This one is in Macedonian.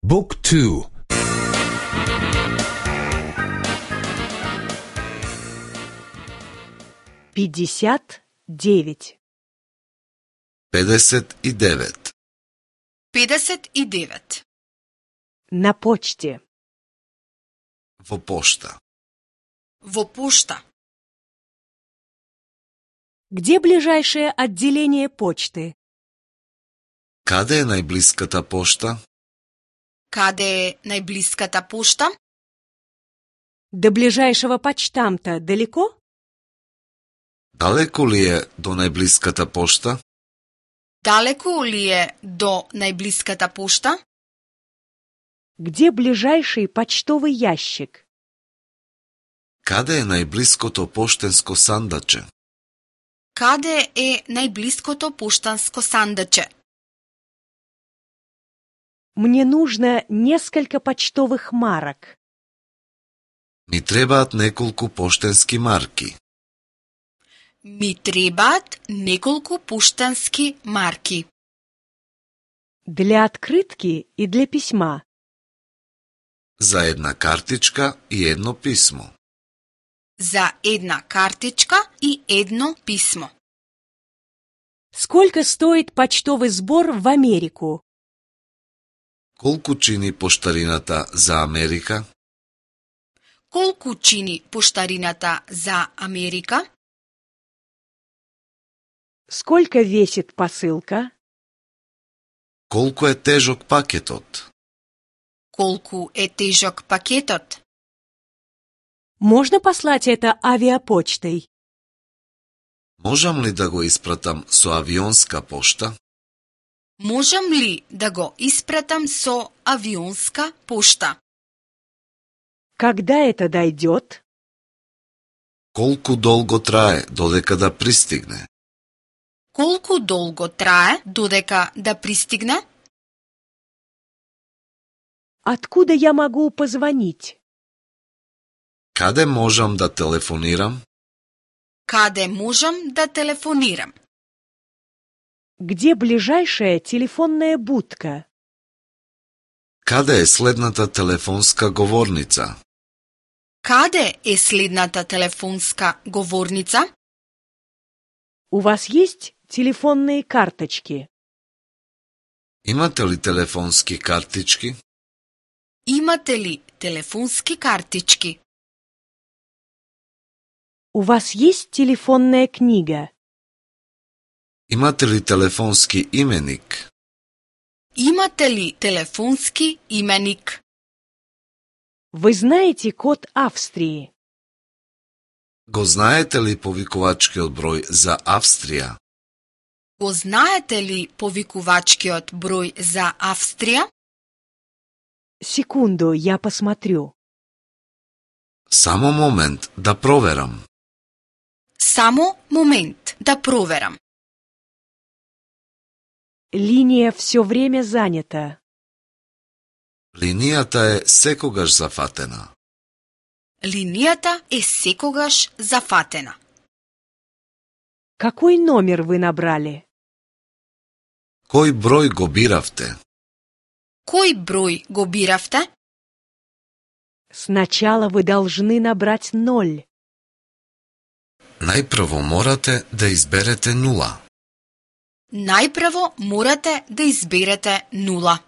Book 2. 59. 59. 59. На почте. Во пошта. Во пошта. Где ближайшее отделение почты? Каде е најблиската пошта? Каде е најблиската пошта? До ближайшего почтамта далеко? Далеку ли е до најблиската пошта? Далеку ли е до најблиската пошта? Где ближайший почтовый ящик? Каде е најблиското поштенско сандаче? Каде е најблиското поштанско сандаче? Мне нужно несколько почтовых марок. Ми требаат неколку поштенски марки. Ми требаат неколку поштански марки. Для открытки и для письма. За една картичка и едно писмо. За една картичка и едно писмо. Сколько стоит почтовый сбор в Америку? Колку чини поштарината за Америка? Колку чини поштарината за Америка? Сколько весит посылка? Колку е тежок пакетот? Колку е тежок пакетот? Можно послать это авиапочтой? Можам ли да го испратам со авионска пошта? Можам ли да го испратам со авионска пошта? Когда это дойдет? Колку долго трае додека да пристигне? Колку долго трае додека да пристигне? Откуда я могу позвонить? Каде можам да телефонирам? Каде можам да телефонирам? Где ближайшая телефонная будка? Каде е следната телефонска говорница? Каде е следната телефонска говорница? У вас есть телефонные карточки? Имате ли телефонски картички? Имате ли телефонски картички? У вас есть телефонная книга? Имате ли телефонски именик? Имате ли телефонски именик? Вы знаете код Австрии? Го знаете ли повикувачкиот број за Австрија? Го знаете ли повикувачкиот број за Австрија? Секунду, я посмотрю. Само момент да проверам. Само момент да проверам. Линия все время занята. Линијата е секогаш зафатена. Линијата е секогаш зафатена. Какой номер вы набрали? Кој број го биравте? Кој број го биравте? Сначала вы должны набрать 0. Најпрво морате да изберете нула. Најпрво морате да изберете 0.